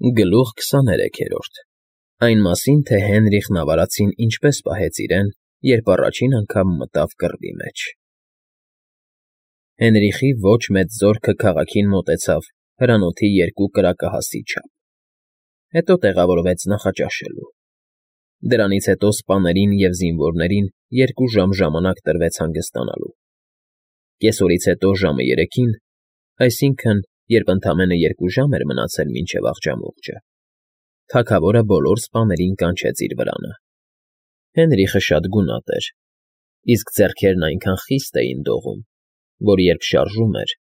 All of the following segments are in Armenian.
Գլուխ 23-րդ Այն մասին, թե Հենրիխն ավարածին ինչպես պահեց իրեն, երբ առաջին անգամ մտավ կռվի մեջ։ Հենրիխի ոչ մեծ զորքը քաղաքին մոտեցավ հրանոթի 2 կրակահասի չափ, հետո տեղավորվեց նախաճաշելու։ Դրանից հետո սպաներին և զինվորներին 2 ժամ ժամանակ տրվեց հանգստանալու։ Կեսօրից հետո ժամը 3-ին, այսինքն, երբ ընդամենը 2 ժամ էր մնացել մինչև աղջամուղջը, թագավորը բոլոր սպաներին կանչեց իր վրանը։ Հենրիխը շատ գունատ էր, իսկ ձեռքերն այնքան խիստ էին դողում, որ երբ շարժում էր,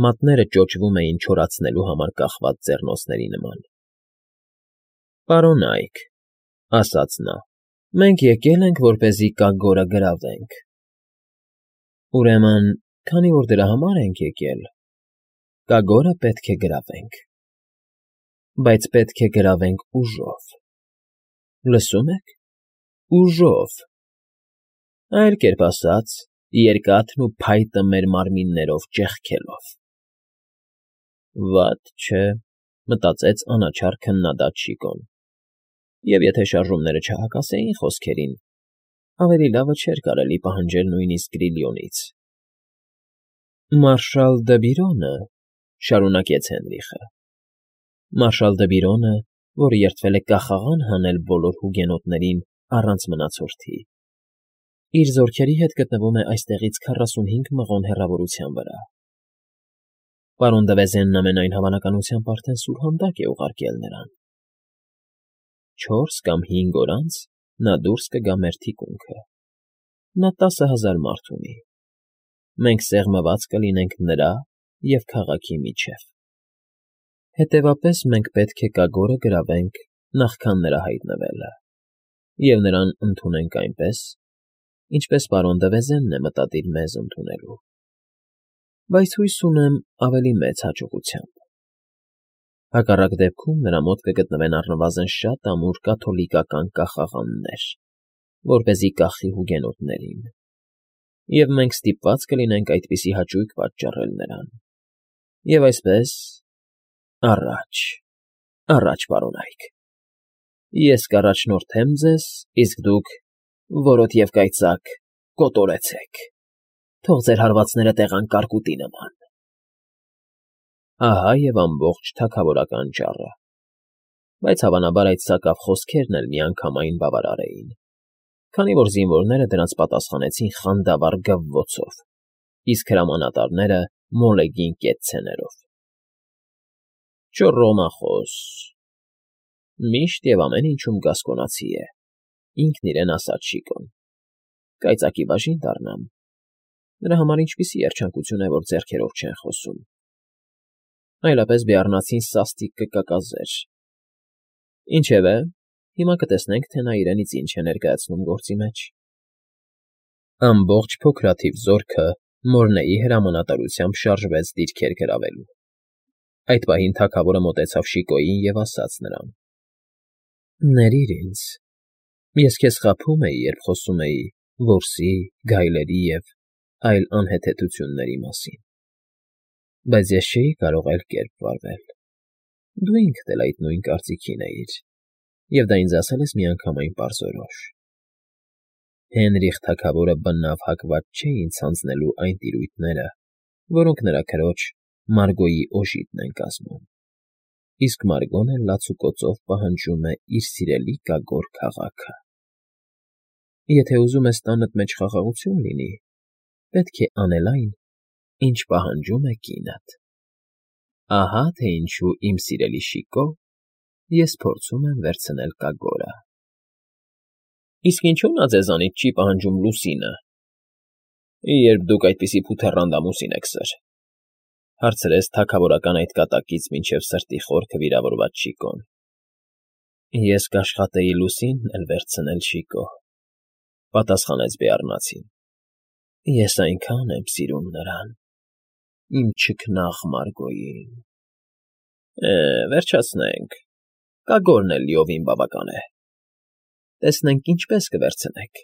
մատները ճոճվում էին չորացնելու համար կախված ձեռնոցների նման։ «Պարոնա՛յք,֊ ասաց նա,֊ մենք եկել ենք, որպեսզի կագորը գրավենք։ Ուրեմն, քանի որ դրա համար ենք եկել, կագորը պետք է գրավենք, բայց պետք է գրավենք ուժով։ Լսո՞ւմ եք, ուժով, այլ կերպ ասած, երկաթն ու փայտը մեր մարմիններով ճեղքելով»։ «Վատ չէ,֊ մտածեց անաչառ քննադատ Շիկոն,֊ և եթե շարժումները չհակասեին խոսքերին, ավելի լավը չէր կարելի պահանջել նույնիսկ Գրիլյոնից»։ «Մարշալ դը Բիրոնը,֊ շարունակեց Հենրիխը,֊ մարշալ դը Բիրոնը, որ երդվել է կախաղան հանել բոլոր հուգենոտներին առանց մնացորդի, իր զորքերի հետ գտնվում է այստեղից 45 մղոն հեռավորության վրա։ Պարոն Դվեզենն ամենայն հավանականությամբ արդեն սուրհանդակ է ուղարկել նրան։ 4 կամ 5 օր անց նա դուրս կգա մեր թիկունքը։ Նա 10,000 մարդ ունի։ Մենք սեղմված կլինենք նրա և քաղաքի միջև։ Հետևապես մենք պետք է կագորը գրավենք նախքան նրա հայտնվելը և նրան ընդունենք այնպես, ինչպես պարոն Դվեզենն է մտադիր մեզ ընդունելու, բայց հույս ունեմ ավելի մեծ հաջողությամբ։ Հակառակ դեպքում նրա մոտ կգտնվեն առնվազն շատ ամուր կաթոլիկական կախաղաններ, որպեսզի կախի հուգենոտներին, և մենք ստիպված կլինենք այդպիսի հաճույք պատճառել նրան։ Եվ այսպես, առաջ, առաջ, պարոնա՛յք, ես կառաջնորդեմ ձեզ, իսկ դուք, որոտ և կայծակ, կոտորեցեք, թող ձեր հարվածները տեղան կարկուտի նման»։ Ահա և ամբողջ թագավորական ճառը, բայց հավանաբար այդ սակավ խոսքերն էլ միանգամայն բավարար էին, քանի որ զինվորները դրանց պատասխանեցին խանդավառ գվվոցով, իսկ հրամանատարները՝ մոլեգին կեցցեներով։ «Ճոռոմախոս, միշտ և ամեն ինչում գասկոնացի է,֊ ինքն իրեն ասաց Շիկոն,֊ կայծակի բաժին դառնամ, նրա համար ինչպիսի երջանկություն է, որ ձեռքերով չեն խոսում։ Այլապես բեառնացին սաստիկ կկակազեր։ Ինչևէ, հիմա կտեսնենք, թե նա իրենից ինչ է ներկայացնում գործի մեջ»։ Ամբողջ փոքրաթիվ զորքը Մորնեի հրամանատարությամբ շարժվեց դիրքեր գրավելու։ Այդ պահին թագավորը մոտեցավ Շիկոյին և ասաց նրան. «Ներիր ինձ, ես քեզ խաբում էի, երբ խոսում էի որսի, գայլերի և այլ անհեթեթությունների մասին, բայց ես չէի կարող այլ կերպ վարվել։ Դու ինքդ էլ այդ նույն կարծիքին էիր, և դա ինձ ասել ես միանգամայն պարզորոշ։ Հենրիխ թագավորը բնավ հակված չէ ինձ հանձնելու այն տիրույթները, որոնք նրա քրոջ՝ Մարգոյի օժիտն են կազմում, իսկ Մարգոն էլ լացուկոծով պահանջում է իր սիրելի կագոր քաղաքը։ Եթե ուզում ես տանդ մեջ խաղաղություն լինի, պետք է անել այն, ինչ պահանջում է կինդ։ Ահա թե ինչու, իմ սիրելի Շիկո, ես փորձում եմ վերցնել կագորը»։ «Իսկ ինչո՞ւ նա ձեզանից չի պահանջում լուսինը, երբ դուք այդպիսի փութեռանդ ամուսին եք սր,֊ հարցրեց թագավորական այդ կատակից մինչև սրտի խորքը վիրավորված Շիկոն։ «Ես կաշխատեի լուսինն էլ վերցնել, Շիկո,֊ պատասխանեց բեառնացին։ Ես այնքան եմ սիրում նրան, իմ չքնաղ Մարգոյին։ Վերջացնենք, կագորն էլ լիովին բավական է։ Տեսնենք ինչպես կվերցնեք»։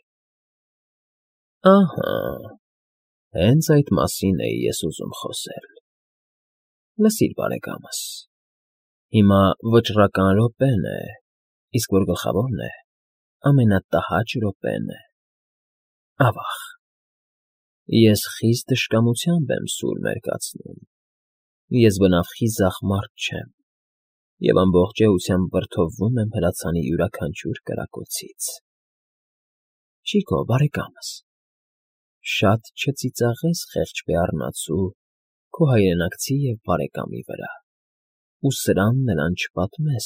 Ահա, հենց այդ մասին էի ես ուզում խոսել։ Լսիր, բարեկամս, Հիմա վճռական րոպեն է, իսկ որ գլխավորն է, ամենատհաճ րոպեն է։ Ավա՜ղ, ես խիստ թշնամությամբ եմ սուր մերկացնում, ես բնավ խիզախ մարդ չեմ և ամբողջ էությամբ վրդովվում եմ հրացանի յուրաքանչյուր կրակոցից։ Շիկո, բարեկամս, շատ չծիծաղես խեղճ բեառնացու քո հայրենակցի և բարեկամի վրա, ու սրան նրան չպատմես,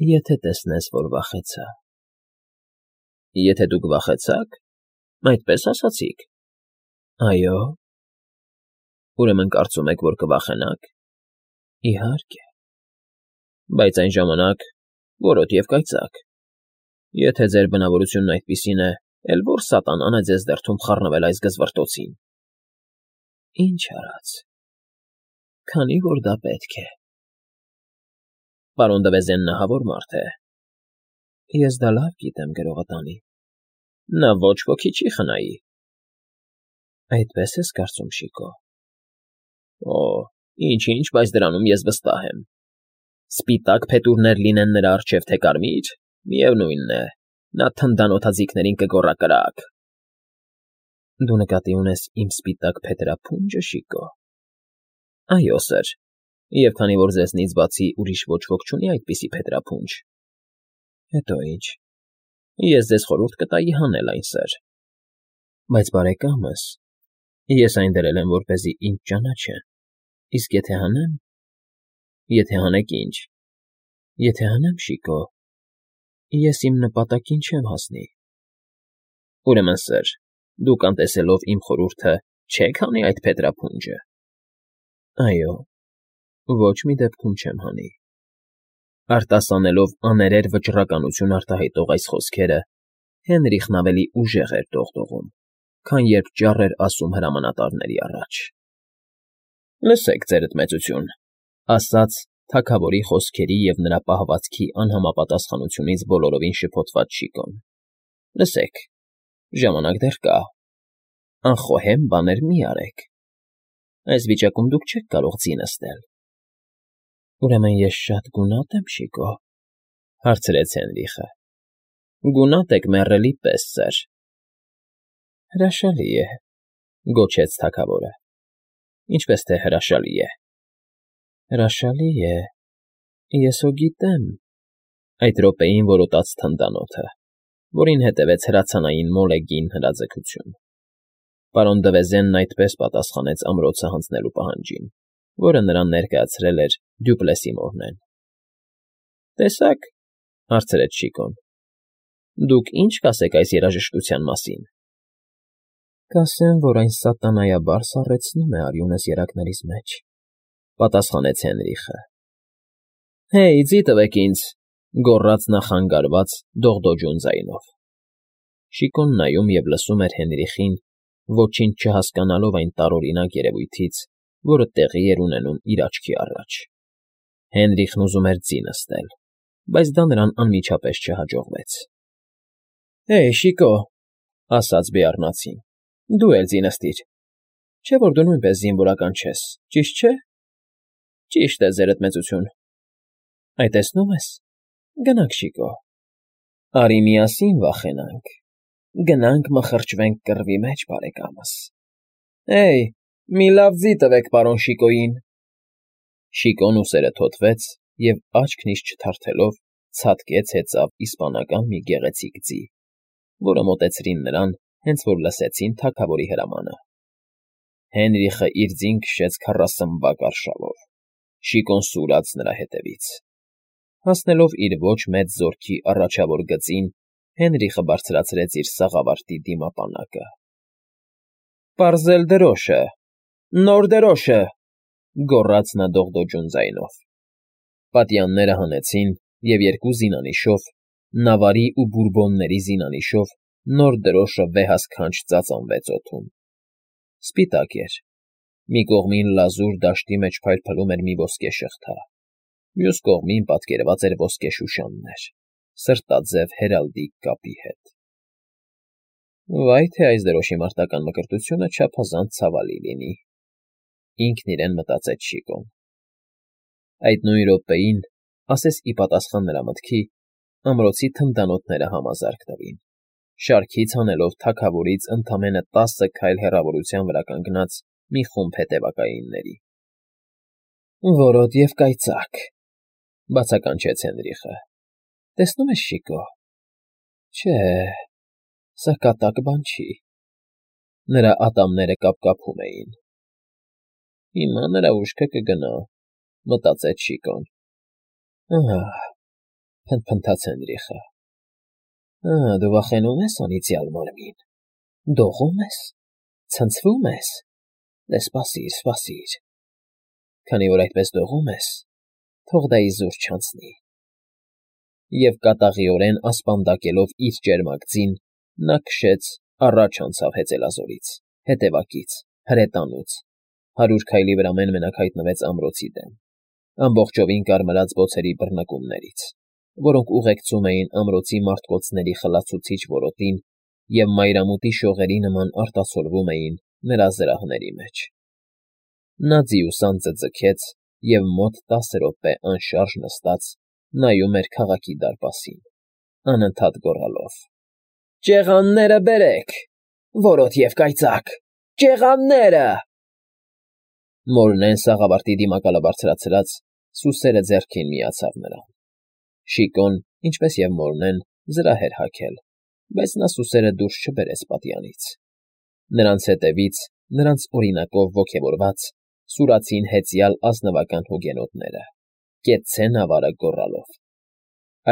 եթե տեսնես, որ վախեցա։ Եթե դուք վախեցաք, այդպես ասացիք։ Այո։ Ուրեմն կարծում եք, որ կվախենաք։ Իհարկե։ Բայց այն ժամանակ որոտ և կայծակ։ Եթե ձեր բնավորությունն այդպիսին է, էլ որ սատանան է ձեզ դրդում խառնվել այս գզվռտոցին։ Ինչ արած, քանի որ դա պետք է։ Պարոն Դվեզենն ահավոր մարդ է։ Ես դա լավ գիտեմ, գրողը տանի։ Նա ոչ ոքի չի խնայի։ Այդպես ես կարծում, Շիկո։ Օ, ինչ, բայց դրանում ես վստահ եմ։ Սպիտակ փետուրներ լինեն նրա առջև, թե կարմիր, միևնույնն է, նա թնդանոթաձիգներին կգոռա կրակ։ Դու նկատի ունես իմ սպիտակ փետրափունջը, Շիկո։ Այո, սըր, և քանի որ ձեզնից բացի ուրիշ ոչ ոք չունի այդպիսի փետրափունջ։ Հետո ինչ, ես ձեզ խորհուրդ կտայի հանել այն, սըր։ Բայց բարեկամս, ես այն դրել եմ, որպեսզի ինձ ճանաչեն, իսկ եթե հանեմ։ Եթե հանեք ինչ։ Եթե հանեմ, Շիկո, ես իմ նպատակին չեմ հասնի։ Ուրեմն, սըր, դուք անտեսելով իմ խորհուրդը չեք հանի այդ փետրափունջը։ Այո, ոչ մի դեպքում չեմ հանի։ Արտասանելով աներեր վճռականություն արտահայտող այս խոսքերը, Հենրիխն ավելի ուժեղ էր դողդողում, քան երբ ճառ էր ասում հրամանատարների առաջ։ Լսեք, ձերդ մեծություն, ասաց թագավորի խոսքերի և նրա պահվածքի անհամապատասխանությունից բոլորովին շփոթված Շիկոն։ Լսեք, ժամանակ դեռ կա։ Անխոհեմ բաներ մի արեք։ Այս վիճակում դուք չեք կարող ձի նստել։ Ուրեմն ես շատ գունատ եմ, Շիկո, հարցրեց Հենրիխը։ Գունատ եք մեռելի պես, սըր։ Հրաշալի է, գոչեց թագավորը։ Ինչպես թե հրաշալի է։ Հրաշալի է, ես հո գիտեմ։ Այդ րոպեին որոտաց թնդանոթը, որին հետևեց հրացանային մոլեգին հրաձգություն։ Պարոն Դվեզենն այդպես պատասխանեց ամրոցը հանձնելու պահանջին, որը նրան ներկայացրել էր Դյուպլեսի մորնեն։ Տեսա՞ք, հարցրեց Շիկոն։ Դուք ինչ կասեք այս երաժշտության մասին։ Կասեմ, որ այն սատանայաբար սառեցնում է արյունս երակներիս մեջ, պատասխանեց Հենրիխը։ Հեյ, ձի տվեք ինձ, գոռաց նա խանգարված, դողդոջուն ձայնով։ Շիկոն նայում և լսում էր Հենրիխին, ոչինչ չհասկանալով այն տարօրինակ երևույթից, որը տեղի էր ունենում իր աչքի առաջ։ Հենրիխն ուզում էր ձի նստել, բայց դա նրան անմիջապես չհաջողվեց։ Հեյ, Շիկո, ասաց բեառնացին, դու էլ ձի նստիր։ Չէ՞ որ դու նույնպես զինվորական չես, ճիշտ չէ։ Ճիշտ է, ձերդ մեծություն։ Այ տեսնում ես, գնանք, Շիկո։ Արի միասին վախենանք, գնանք մխրճվենք կռվի մեջ, բարեկամս։ Հեյ, մի լավ ձի տվեք պարոն Շիկոյին։ Շիկոն ուսերը թոթվեց և աչքն իսկ չթարթելով ցատկեց հեծավ իսպանական մի գեղեցիկ ձի, որը մոտեցրին նրան, հենց որ լսեցին թագավորի հրամանը։ Հենրիխը իր ձին քշեց 40 արշավով, Շիկոն սուրաց նրա հետևից։ Հասնելով իր ոչ մեծ զորքի առաջավոր գծին, Հենրիխը բարձրացրեց իր սաղավարտի դիմապանակը։ Պարզել դրոշը, նոր դրոշը, գոռաց նա դողդոջուն ձայնով։ Պատյանները հանեցին, և երկու զինանիշով, նավարի ու բուրբոնների զինանիշով, նոր դրոշը վեհասքանչ ծածանվեց օդում։ Սպիտակ էր։ Մի կողմին լազուր դաշտի մեջ փայլփլում էր մի ոսկե շղթա, մյուս կողմին պատկերված էր ոսկե շուշաններ, սրտաձև հերալդիկ կապի հետ։ Վայ թե այս դրոշի մարտական մկրտությունը չափազանց ցավալի լինի, ինքն իրեն մտածեց Շիկոն։ Այդ նույն րոպեին ասես ի պատասխան նրա մտքի, ամրոցի թնդանոթները համազարկ տվին, շարքից հանելով թագավորից ընդամենը 10 քայլ հեռավորության վրա կանգնած մի խումբ հետևակայինների։ «Որոտ և կայծակ,֊ բացականչեց Հենրիխը։֊ Տեսնում ես, Շիկո, չէ, սա կատակ բան չի»։ Նրա ատամները կապկապում էին։ «Հիմա նրա ուշքը կգնա,֊ մտածեց Շիկոն։ Ահ,֊ փնթփնթաց Հենրիխը։ Դու վախենու՞մ ես, անիծյալ մարմին, դողո՞մ ես, ցնցվո՞ւմ ես։ Դե սպասիր, սպասիր… Քանի որ այդպես դողում ես, թող դա իզուր չանցնի»։ Եվ կատաղիորեն ասպանդակելով իր ճերմակ ձին, նա քշեց, առաջ անցավ հեծելազորից, հետևակից, հրետանուց, 100 քայլի վրա մեն֊մենակ հայտնվեց ամրոցի դեմ, ամբողջովին կարմրած բոցերի բռնկումներից, որոնք ուղեկցում էին ամրոցի մարտկոցների խլացուցիչ որոտին և մայրամուտի շողերի նման արտացոլվում էին նրա զրահների մեջ։ Նա ձիուսանձը ձգեց և մոտ 10 րոպե անշարժ նստած նայում էր քաղաքի դարպասին, անընդհատ գոռալով. «Ճեղանները բերեք, որոտ և կայծակ, ճեղանները…»։ Մորնեն սաղավարտի դիմակալը բարձրացրած, սուսերը ձեռքին միացավ նրան։ Շիկոն, ինչպես և Մորնեն, զրահ էր հագել, բայց նա սուսերը դուրս չբերեց պատյանից։ Նրանց հետևից, նրանց օրինակով ոգևորված, սուրացին հեծյալ ազնվական հուգենոտները, կեցցե նավարը գոռալով։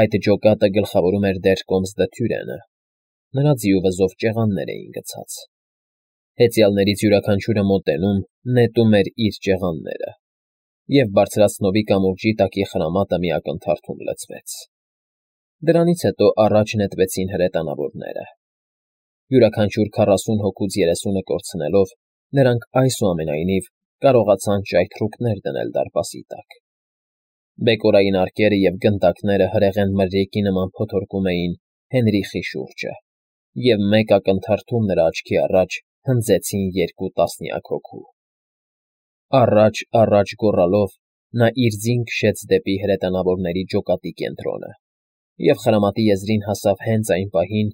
Այդ ջոկատը գլխավորում էր դեռ կոմսդը Թյուրենը, նրա ձիու վզով ճեղաններ էին գցած։ Հեծյալներից յուրաքանչյուրը մոտենում, նետում էր իր ճեղանները, և բարձրացնովի կամուրջի տակի խրամատը մի ակնթարթում լցվեց։ Դրանից հետո առաջ նետվեցին հրետանավորները։ Յուրաքանչյուր 40 հոգուց 30-ը կորցնելով, նրանք այսուամենայնիվ կարողացան ճայթռուկներ դնել դարպասի տակ։ Բեկորային արկերը և գնդակները հրեղեն մրրիկի նման փոթորկում էին Հենրիխի շուրջը, և մեկ ակնթարթում նրա աչքի առաջ հնձեցին 2 տասնյակ հոգու։ Առաջ գոռալով նա իր ձին քշեց դեպի հրետանավորների ջոկատի կենտրոնը և խրամատի եզրին հասավ հենց այն պահին,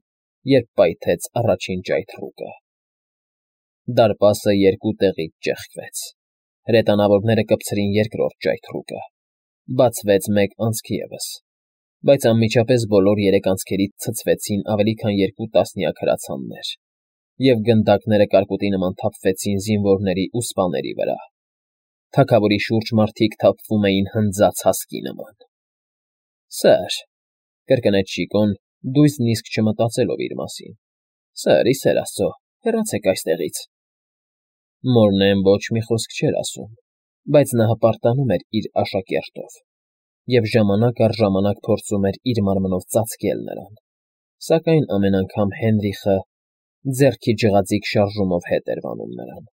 երբ պայթեց առաջին ճայթռուկը։ Դարպասը 2 տեղից ճեղքվեց, հրետանավորները կպցրին երկրորդ ճայթռուկը, բացվեց մեկ անցք ևս, բայց անմիջապես բոլոր 3 անցքերից ցցվեցին ավելի քան 2 տասնյակ հրացաններ, և գնդակները կարկուտի նման թափվեցին զինվորների ու սպաների վրա։ Թագավորի շուրջ մարդիկ թափվում էին հնձած հասկի նման։ Սըր,֊ կրկնեց Շիկոն, դույզն իսկ չմտածելով իր մասին,֊ Սըր, ի սեր Աստծո, հեռացեք այստեղից։ Մորնեն ոչ մի խոսք չէր ասում, բայց նա հպարտանում էր իր աշակերտով և ժամանակ առ ժամանակ փորձում էր իր մարմնով ծածկել նրան, սակայն ամեն անգամ Հենրիխը ձեռքի ջղաձիգ շարժումով հետ էր վանում նրան։